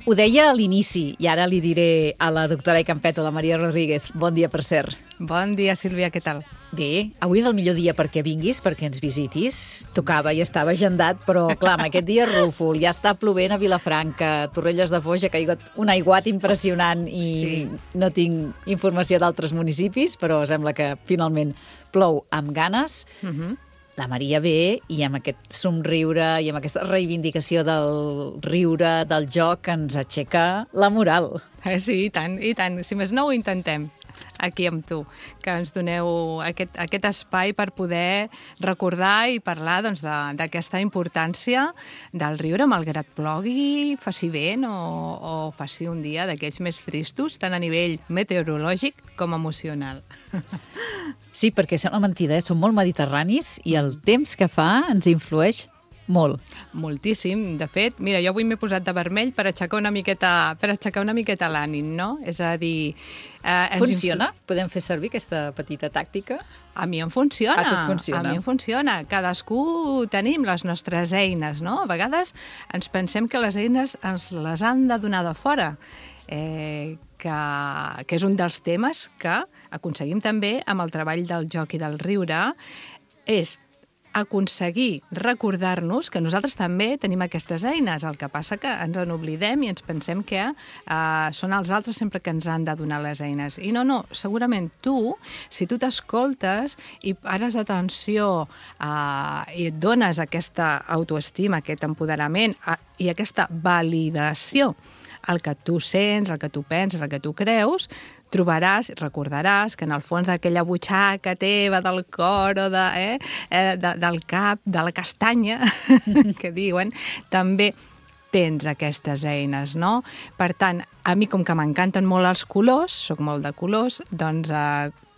Ho deia a l'inici, i ara li diré a la doctora i Campeto, la Maria Rodríguez. Bon dia, per cert. Bon dia, Sílvia, què tal? Bé, avui és el millor dia perquè vinguis, perquè ens visitis. Tocava i estava agendat, però clar, amb aquest dia rúfol, ja està plovent a Vilafranca, Torrelles de Foix, ha caigut un aiguat impressionant i no tinc informació d'altres municipis, però sembla que finalment plou amb ganes. La Maria ve i amb aquest somriure i amb aquesta reivindicació del riure, del joc, ens aixeca la moral. Sí, i tant, i tant. Si més no, ho intentem aquí amb tu, que ens doneu aquest espai per poder recordar i parlar d'aquesta importància del riure, malgrat plogui, faci vent o faci un dia d'aquells més tristos, tant a nivell meteorològic com emocional. Sí, perquè sembla mentida, som molt mediterranis i el temps que fa ens influeix molt. Moltíssim. De fet, mira, jo avui m'he posat de vermell per aixecar una miqueta l'ànim, no? És a dir... Funciona? Podem fer servir aquesta petita tàctica? A mi em funciona. A tu et funciona. A mi em funciona. Cadascú tenim les nostres eines, no? A vegades ens pensem que les eines ens les han de donar de fora, que és un dels temes que aconseguim també amb el treball del joc i del riure, és aconseguir recordar-nos que nosaltres també tenim aquestes eines. El que passa que ens en oblidem i ens pensem que són els altres sempre que ens han de donar les eines. I no, segurament tu, si tu t'escoltes i pares atenció i et dones aquesta autoestima, aquest empoderament i aquesta validació el que tu sents, el que tu penses, el que tu creus, trobaràs, recordaràs que en el fons d'aquella butxaca teva, del cor o del cap, de la castanya, que diuen, també tens aquestes eines, no? Per tant, a mi, com que m'encanten molt els colors, soc molt de colors, doncs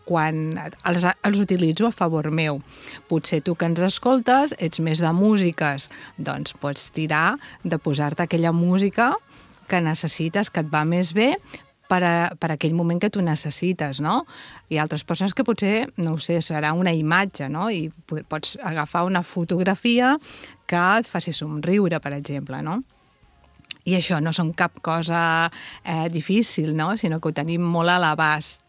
quan els utilitzo a favor meu. Potser tu que ens escoltes, ets més de músiques, doncs pots tirar de posar-te aquella música que necessites, que et va més bé per aquell moment que tu necessites, no? Hi ha altres persones que potser, no ho sé, serà una imatge, no? I pots agafar una fotografia que et faci somriure, per exemple, no? I això no són cap cosa difícil, no? Sinó que ho tenim molt a l'abast.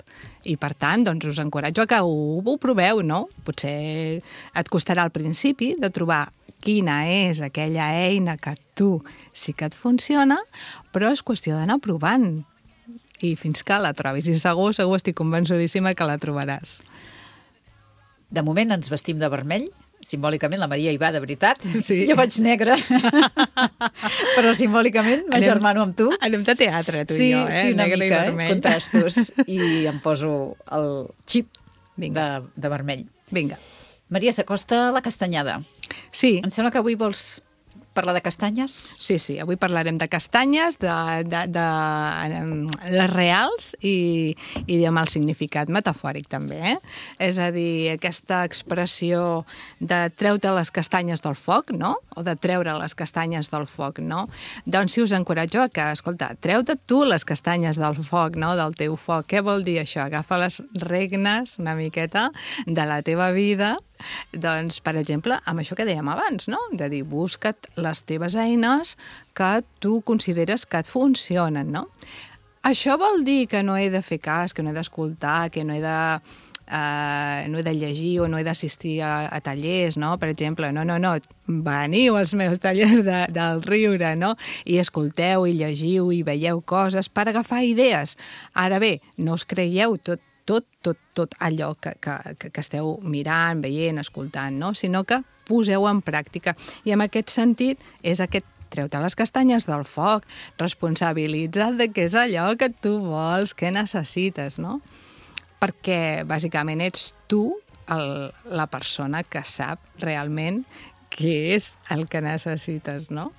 I, per tant, doncs us encoratjo a que ho proveu, no? Potser et costarà al principi de trobar quina és aquella eina que tu sí que et funciona, però és qüestió d'anar provant. I fins que la trobis. I segur estic convençudíssima que la trobaràs. De moment ens vestim de vermell. Simbòlicament la Maria hi va de veritat. Sí. Jo vaig negra. Però simbòlicament m'agermano amb tu. Anem de teatre, tu i jo, Sí, una negre mica, i vermell. contrastos. I em poso el xip de vermell. Vinga. Maria, s'acosta la castanyada. Sí. Em sembla que avui vols parlar de castanyes? Sí, avui parlarem de castanyes, de les reals i amb el significat metafòric també, És a dir, aquesta expressió de treure les castanyes del foc, no? O de treure les castanyes del foc, no? Doncs sí, us encoratjo a que, escolta, treu-te tu les castanyes del foc, no? Del teu foc. Què vol dir això? Agafa les regnes una miqueta de la teva vida. Doncs, per exemple, amb això que dèiem abans, no? De dir, busca't les teves eines que tu consideres que et funcionen, no? Això vol dir que no he de fer cas, que no he d'escoltar, que no he de llegir o no he d'assistir a tallers, no? Per exemple, no, veniu als meus tallers del riure, no? I escolteu i llegiu i veieu coses per agafar idees. Ara bé, no us creieu tot allò que esteu mirant, veient, escoltant, no? Sinó que poseu en pràctica. I en aquest sentit és aquest treu-te les castanyes del foc, responsabilitza't de què és allò que tu vols, què necessites, no? Perquè, bàsicament, ets tu la persona que sap realment què és el que necessites, no?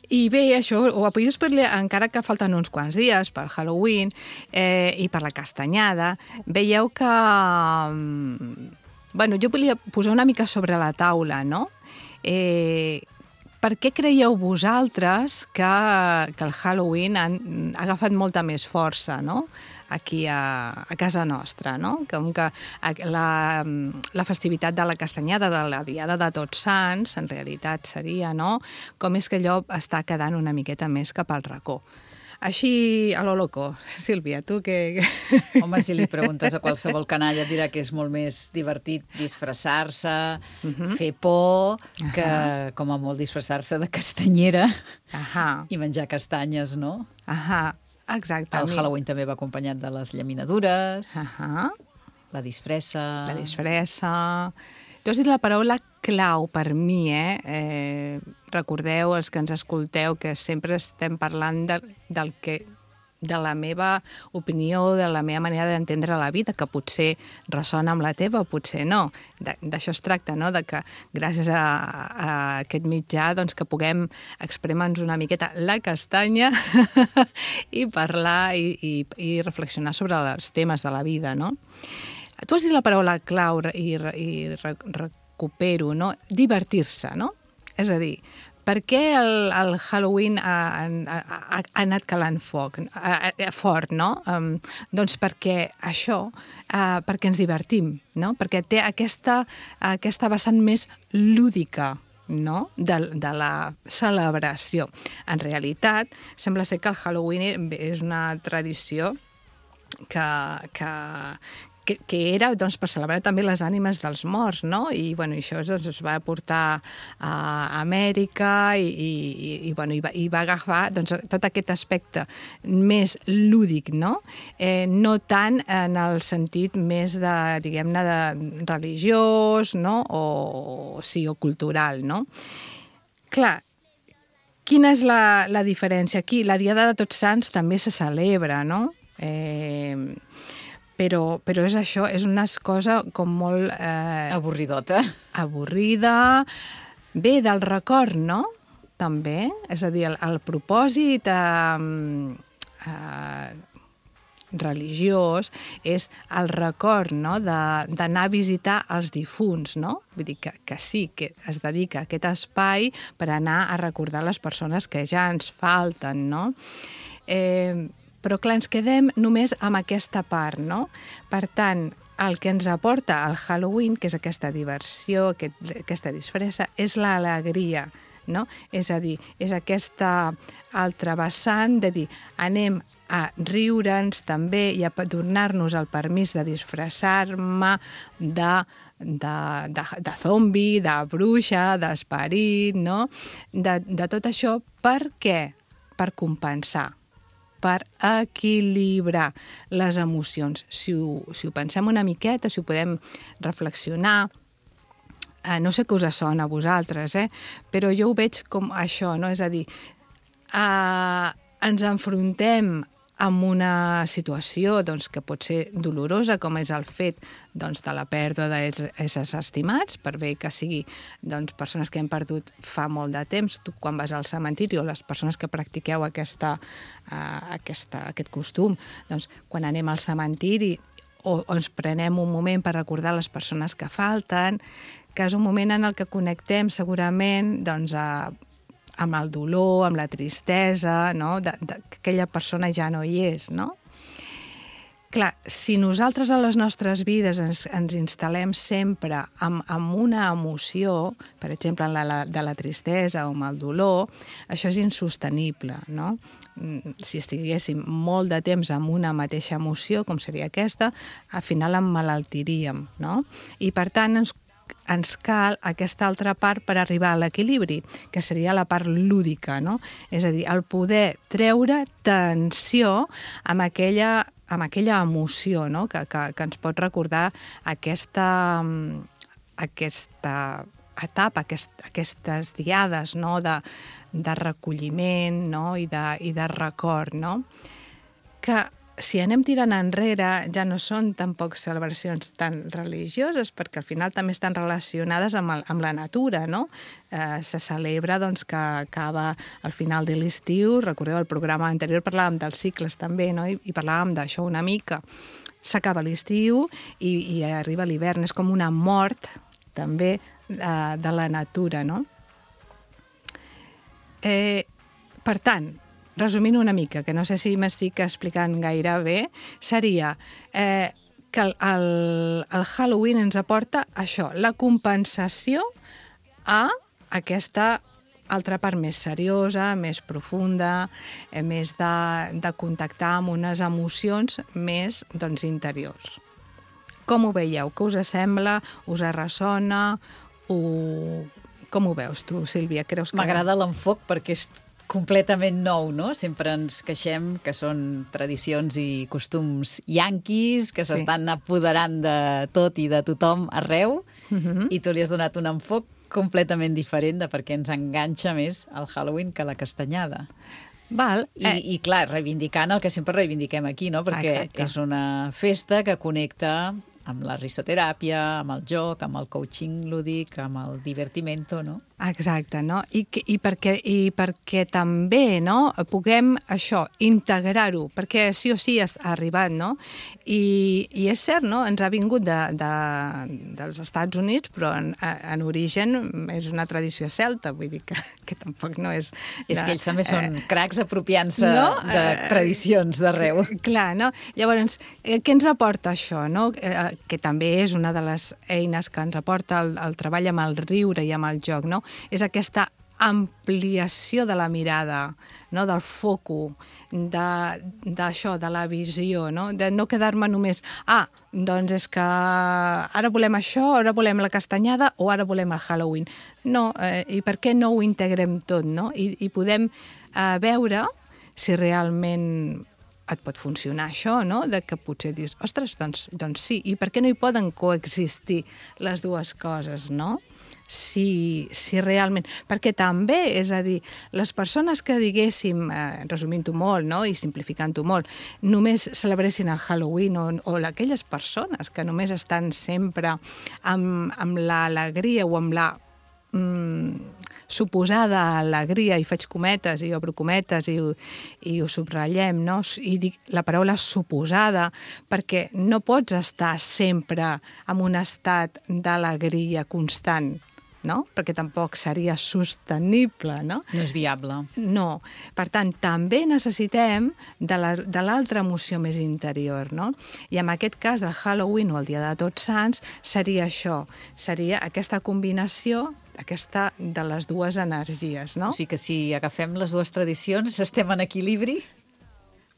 I bé, això ho podria explicar encara que falten uns quants dies per Halloween i per la castanyada. Veieu que... jo volia posar una mica sobre la taula, no? Per què creieu vosaltres que el Halloween ha agafat molta més força, no? aquí a casa nostra, no? Com que la festivitat de la castanyada, de la Diada de Tots Sants, en realitat seria, no? Com és que allò està quedant una miqueta més cap al racó. Així, a lo loco. Sílvia, tu què... Home, si li preguntes a qualsevol canalla et dirà que és molt més divertit disfressar-se, fer por, que com a molt disfressar-se de castanyera i menjar castanyes, no? Exactament. El Halloween també va acompanyat de les llaminadures, la disfressa... La disfressa... Tu has dit la paraula clau per mi, recordeu, els que ens escolteu, que sempre estem parlant de la meva opinió, de la meva manera d'entendre la vida, que potser ressona amb la teva, potser no. D'això es tracta, no?, de que gràcies a aquest mitjà doncs, que puguem exprimir-nos una miqueta la castanya i parlar i reflexionar sobre els temes de la vida, no? Tu has dit la paraula clau i recupero, no? Divertir-se, no? És a dir, per què el Halloween ha anat calant fort, no? Doncs perquè això, perquè ens divertim, no? Perquè té aquesta vessant més lúdica, no?, de la celebració. En realitat, sembla ser que el Halloween és una tradició que era doncs, per celebrar també les ànimes dels morts, no? I bueno, això doncs, es va portar a Amèrica i va agafar doncs, tot aquest aspecte més lúdic, no? No tant en el sentit més de, diguem-ne, de religiós, no? O cultural, no? Clar, quina és la diferència? Aquí, la Diada de Tots Sants també se celebra, no? Però és això, és una cosa com molt... avorridota. Avorrida. Bé, del record, no? També. És a dir, el propòsit religiós és el record, no?, d'anar a visitar els difunts, no? Vull dir que sí, que es dedica a aquest espai per anar a recordar les persones que ja ens falten, no? Però, clar, ens quedem només amb aquesta part, no? Per tant, el que ens aporta el Halloween, que és aquesta diversió, aquesta disfressa, és l'alegria, no? És a dir, és aquesta altra vessant de dir, anem a riure'ns també i a donar-nos el permís de disfressar-me de zombi, de bruixa, d'esperit, no? De tot això, per què? Per compensar, per equilibrar les emocions. Si ho pensem una miqueta, si ho podem reflexionar, no sé què us sona a vosaltres, però jo ho veig com això, no? És a dir, ens enfrontem amb una situació doncs, que pot ser dolorosa, com és el fet doncs, de la pèrdua d'éssers estimats, per bé que sigui doncs, persones que hem perdut fa molt de temps. Tu, quan vas al cementiri, o les persones que practiqueu aquest costum, doncs, quan anem al cementiri o ens prenem un moment per recordar les persones que falten, que és un moment en el que connectem segurament doncs, amb el dolor, amb la tristesa, no? Que aquella persona ja no hi és, no? Clar, si nosaltres a les nostres vides ens instal·lem sempre amb una emoció, per exemple, de la tristesa o amb el dolor, això és insostenible, no? Si estiguéssim molt de temps amb una mateixa emoció, com seria aquesta, al final emmalaltiríem, no? I, per tant, ens cal aquesta altra part per arribar a l'equilibri, que seria la part lúdica, no? És a dir, el poder treure tensió amb aquella emoció, no? Que ens pot recordar aquesta etapa, aquestes diades, no? de recolliment, no? I de record, no? Que si anem tirant enrere, ja no són tampoc celebracions tan religioses, perquè al final també estan relacionades amb la natura, no? Se celebra doncs, que acaba al final de l'estiu. Recordeu, el programa anterior parlàvem dels cicles també, no? I parlàvem d'això una mica. S'acaba l'estiu i arriba l'hivern. És com una mort també de la natura, no? Per tant, resumint una mica, que no sé si m'estic explicant gaire bé, seria que el Halloween ens aporta això, la compensació a aquesta altra part més seriosa, més profunda, més de contactar amb unes emocions més interiors. Com ho veieu? Què us sembla? Us ressona? Com ho veus tu, Sílvia? Creus que... M'agrada l'enfoc perquè és completament nou, no? Sempre ens queixem que són tradicions i costums yanquis, que s'estan apoderant de tot i de tothom arreu, i tu li has donat un enfoc completament diferent de per què ens enganxa més el Halloween que la castanyada. Val. I clar, reivindicant el que sempre reivindiquem aquí, no? Perquè és una festa que connecta amb la risoteràpia, amb el joc, amb el coaching lúdic, amb el divertimento, no? Exacte, no? I perquè també, no?, puguem això, integrar-ho, perquè sí o sí ha arribat, no? I és cert, no?, ens ha vingut dels Estats Units, però en origen és una tradició celta, vull dir que tampoc no és... És que ells també són cracs apropiant-se de tradicions d'arreu. Clar, no? Llavors, què ens aporta això, no? Que també és una de les eines que ens aporta el treball amb el riure i amb el joc, no? És aquesta ampliació de la mirada, no? Del foco, d'això, de la visió, no? De no quedar-me només, doncs és que ara volem això, ara volem la castanyada o ara volem el Halloween. No, i per què no ho integrem tot, no? I podem veure si realment et pot funcionar això, no? De que potser dius, ostres, doncs sí, i per què no hi poden coexistir les dues coses, no? Si realment... Perquè també, és a dir, les persones que diguéssim, resumint-ho molt, no?, i simplificant-ho molt, només celebressin el Halloween o aquelles persones que només estan sempre amb l'alegria o amb la suposada alegria, i faig cometes i obro cometes i ho subratllem, no? I dic la paraula suposada perquè no pots estar sempre en un estat d'alegria constant, no? Perquè tampoc seria sostenible, no? No és viable. No. Per tant, també necessitem de l'altra emoció més interior, no? I en aquest cas del Halloween o el Dia de Tots Sants seria això, seria aquesta combinació de les dues energies, no? O sigui que si agafem les dues tradicions estem en equilibri?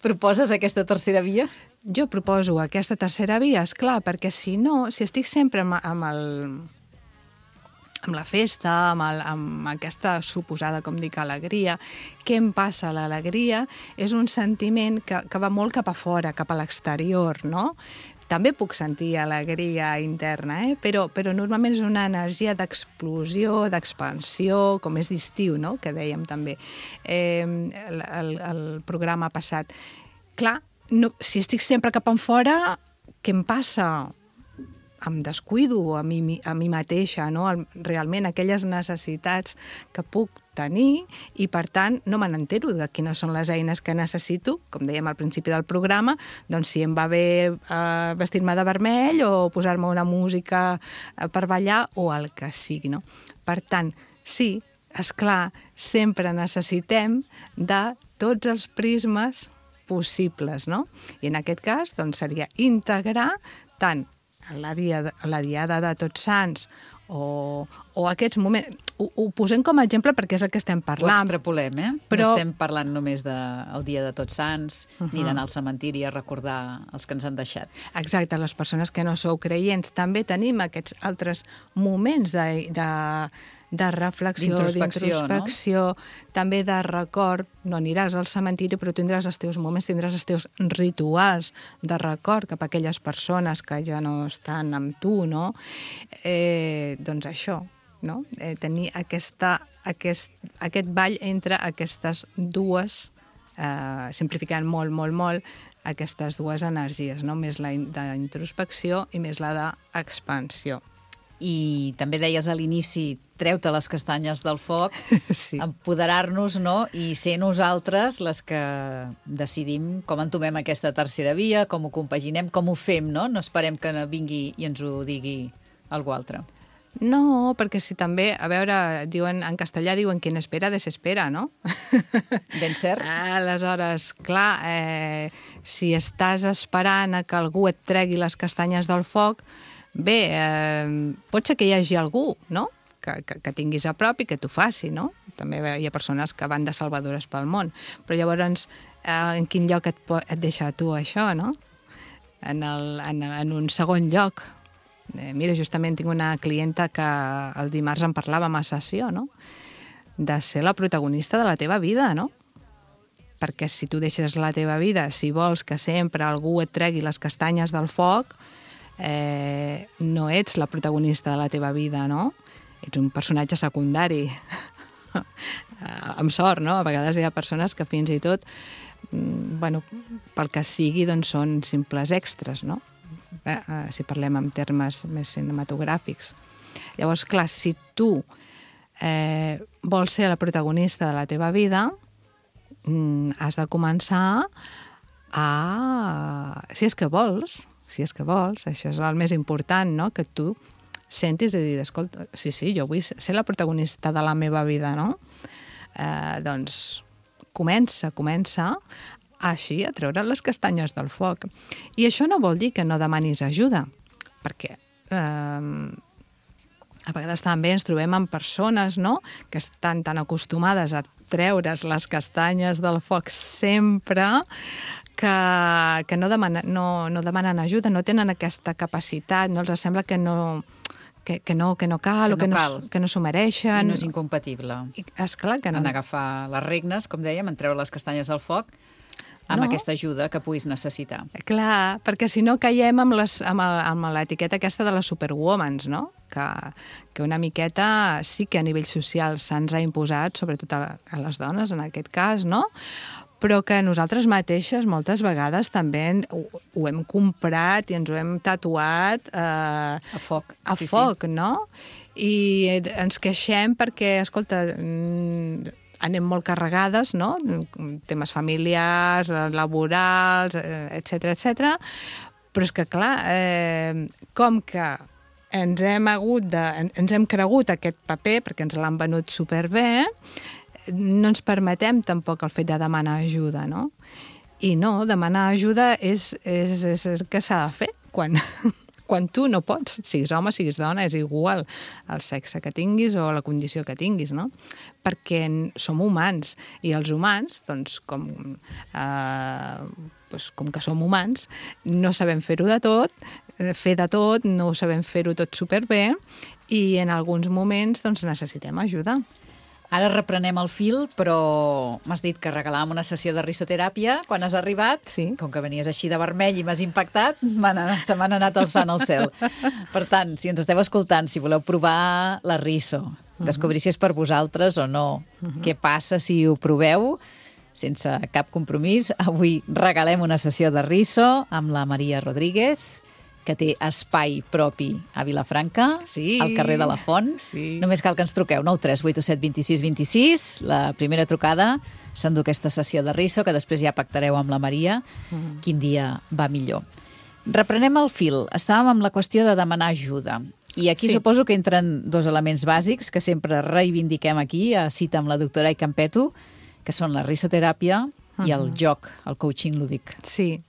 Proposes aquesta tercera via? Jo proposo aquesta tercera via, esclar, perquè si no, si estic sempre amb la festa, amb aquesta suposada, com dic, alegria, què em passa? L'alegria és un sentiment que va molt cap a fora, cap a l'exterior, no? També puc sentir alegria interna, però normalment és una energia d'explosió, d'expansió, com és d'estiu, no?, que dèiem també el programa passat. Clar, si estic sempre cap enfora, què em passa? Em descuido a mi mateixa, no? Realment aquelles necessitats que puc tenir i, per tant, no me n'entero de quines són les eines que necessito, com dèiem al principi del programa, doncs si em va bé vestir-me de vermell o posar-me una música per ballar o el que sigui, no? Per tant, sí, esclar, sempre necessitem de tots els prismes possibles, no? I en aquest cas, doncs, seria integrar tant la diada de Tots Sants o aquests moments... Ho posem com a exemple perquè és el que estem parlant. Ho extrapolem, Però... No estem parlant només del Dia de Tots Sants, ni d'anar al cementiri a recordar els que ens han deixat. Exacte, les persones que no sou creients també tenim aquests altres moments de reflexió, d'introspecció, no? També de record. No aniràs al cementiri, però tindràs els teus moments, tindràs els teus rituals de record cap a aquelles persones que ja no estan amb tu, no? Doncs això, no? Tenir aquest ball entre aquestes dues, simplificant molt, molt, molt, aquestes dues energies, no? Més la d'introspecció i més la d'expansió. I també deies a l'inici, treu-te les castanyes del foc, sí. Empoderar-nos, no? I ser nosaltres les que decidim com entomem aquesta tercera via, com ho compaginem, com ho fem, no? No esperem que vingui i ens ho digui algú altre. No, perquè si també, a veure, diuen en castellà diuen quien espera desespera, no? Ben cert. Aleshores, clar, si estàs esperant a que algú et tregui les castanyes del foc, bé, pot ser que hi hagi algú, no?, que tinguis a prop i que t'ho faci, no? També hi ha persones que van de salvadores pel món. Però llavors, en quin lloc et deixa tu això, no? En un segon lloc. Mira, justament tinc una clienta que el dimarts en parlàvem a sessió, no? De ser la protagonista de la teva vida, no? Perquè si tu deixes la teva vida, si vols que sempre algú et tregui les castanyes del foc, no ets la protagonista de la teva vida, no? Ets un personatge secundari. Amb sort, no? A vegades hi ha persones que fins i tot, bueno, pel que sigui, doncs són simples extras, no? Si parlem en termes més cinematogràfics. Llavors, clar, si tu vols ser la protagonista de la teva vida, has de començar a... Si és que vols, això és el més important, no?, que tu sentis de dir, escolta, sí, jo vull ser la protagonista de la meva vida, no? Doncs comença així a treure les castanyes del foc. I això no vol dir que no demanis ajuda, perquè a vegades també ens trobem amb persones, no?, que estan tan acostumades a treure's les castanyes del foc sempre que no demanen ajuda, no tenen aquesta capacitat, no els sembla que no cal, que no s'ho mereixen. I no és incompatible. Esclar que no. En agafar les regnes, com dèiem, en treure les castanyes del foc, amb aquesta ajuda que puguis necessitar. Clar, perquè si no caiem amb l'etiqueta aquesta de les superwomans, no? Que una miqueta sí que a nivell social se'ns ha imposat, sobretot a les dones, en aquest cas, no?, però que nosaltres mateixes moltes vegades també ho hem comprat i ens ho hem tatuat a foc, no? I ens queixem perquè, escolta, anem molt carregades, no?, temes familiars, laborals, etcètera, però és que, clar, com que ens hem cregut aquest paper perquè ens l'han venut superbé, no ens permetem tampoc el fet de demanar ajuda, no? I no, demanar ajuda és el que s'ha de fer quan tu no pots, siguis home, siguis dona, és igual el sexe que tinguis o la condició que tinguis, no? Perquè som humans, i els humans, doncs, com que som humans, no sabem fer-ho de tot, no sabem fer-ho tot superbé, i en alguns moments doncs, necessitem ajuda. Ara reprenem el fil, però m'has dit que regalàvem una sessió de risoteràpia. Quan has arribat, sí, com que venies així de vermell i m'has impactat, se m'han anat alçant al cel. Per tant, si ens esteu escoltant, si voleu provar la riso, descobrir si és per vosaltres o no, què passa si ho proveu, sense cap compromís, avui regalem una sessió de riso amb la Maria Rodríguez, que té espai propi a Vilafranca, al carrer de la Font. Sí. Només cal que ens truqueu, 93887 26 26, la primera trucada, s'endú aquesta sessió de riso, que després ja pactareu amb la Maria quin dia va millor. Reprenem el fil. Estàvem amb la qüestió de demanar ajuda. I aquí suposo que entren dos elements bàsics que sempre reivindiquem aquí, a cita amb la doctora Ikampetu, que són la risoteràpia i el joc, el coaching lúdic. Sí.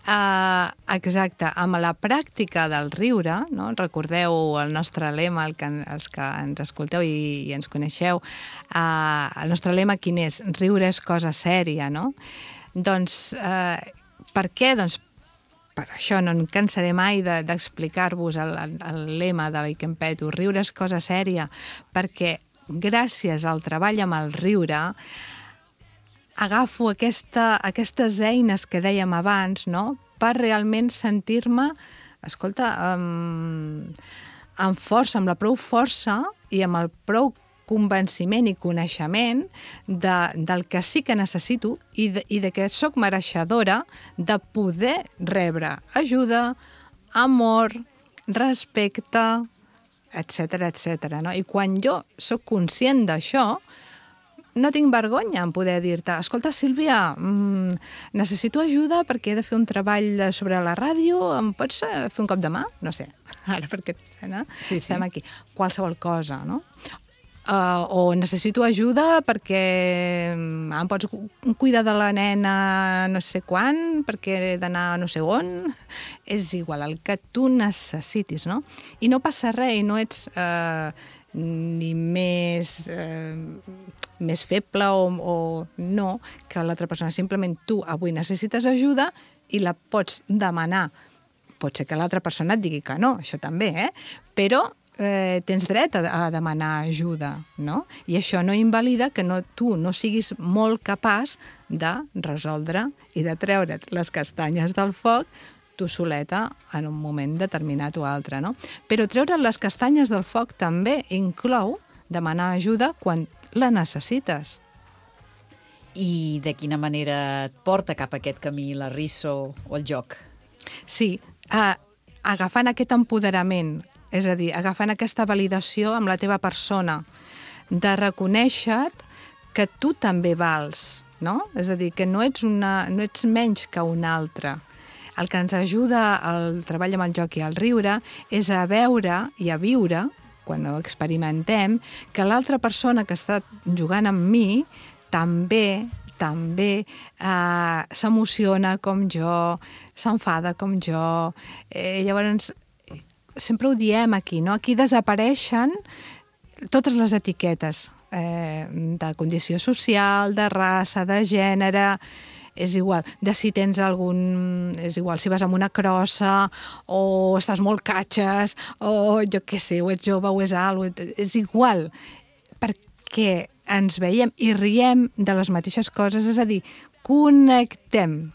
Exacte. Amb la pràctica del riure, no? Recordeu el nostre lema, els que ens escolteu i ens coneixeu, el nostre lema quin és? Riure és cosa sèria, no? Doncs, per què? Doncs per això no em cansaré mai d'explicar-vos el lema de l'Ikampetu, riure és cosa sèria, perquè gràcies al treball amb el riure agafo aquestes eines que dèiem abans, no?, per realment sentir-me, escolta, amb força, amb la prou força i amb el prou convenciment i coneixement del que sí que necessito i de que sóc mereixedora de poder rebre ajuda, amor, respecte, etcètera, no? I quan jo sóc conscient d'això, no tinc vergonya en poder dir-te, escolta, Sílvia, necessito ajuda perquè he de fer un treball sobre la ràdio, em pots fer un cop de mà? No sé, ara perquè estem aquí. Qualsevol cosa, no? O necessito ajuda perquè em pots cuidar de la nena no sé quan, perquè he d'anar no sé on. És igual, el que tu necessitis, no? I no passa res, i no ets ni més feble o no, que l'altra persona. Simplement tu avui necessites ajuda i la pots demanar. Pot ser que l'altra persona et digui que no, això també, però tens dret a demanar ajuda, no? I això no invalida que tu no siguis molt capaç de resoldre i de treure't les castanyes del foc tu soleta en un moment determinat o altre, no? Però treure les castanyes del foc també inclou demanar ajuda quan la necessites. I de quina manera et porta cap a aquest camí la riso o el joc? Sí, agafant aquest empoderament, és a dir, agafant aquesta validació amb la teva persona, de reconèixer que tu també vals, no? És a dir, que no ets menys que un altre. El que ens ajuda al treball amb el joc i al riure és a veure i a viure, quan ho experimentem, que l'altra persona que està jugant amb mi també s'emociona com jo, s'enfada com jo. Llavors, sempre ho diem aquí, no? Aquí desapareixen totes les etiquetes de condició social, de raça, de gènere, és igual, de si tens algun... És igual, si vas amb una crossa o estàs molt catxes o jo què sé, o ets jove o és alt, és igual, perquè ens veiem i riem de les mateixes coses, és a dir, connectem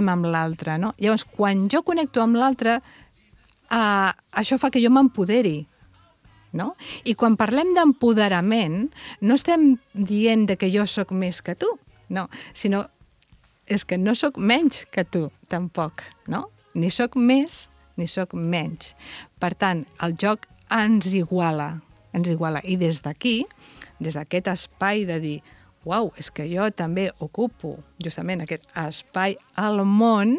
amb l'altre, no? Llavors, quan jo connecto amb l'altre, això fa que jo m'empoderi, no? I quan parlem d'empoderament, no estem dient que jo sóc més que tu, no, sinó és que no sóc menys que tu, tampoc, no? Ni sóc més, ni sóc menys. Per tant, el joc ens iguala. I des d'aquí, des d'aquest espai de dir uau, és que jo també ocupo justament aquest espai al món,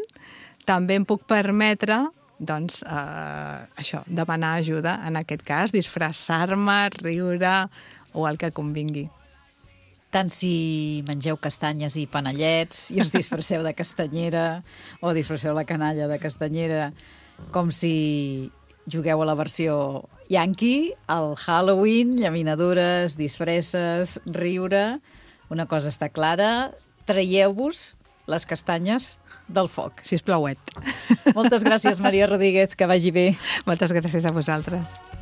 també em puc permetre doncs, això, demanar ajuda, en aquest cas, disfressar-me, riure o el que convingui. Tant si mengeu castanyes i panellets i us disfresseu de castanyera o disfresseu la canalla de castanyera, com si jugueu a la versió yankee, al Halloween, llaminadures, disfresses, riure. Una cosa està clara, traieu-vos les castanyes del foc. Sisplau. Moltes gràcies, Maria Rodríguez, que vagi bé. Moltes gràcies a vosaltres.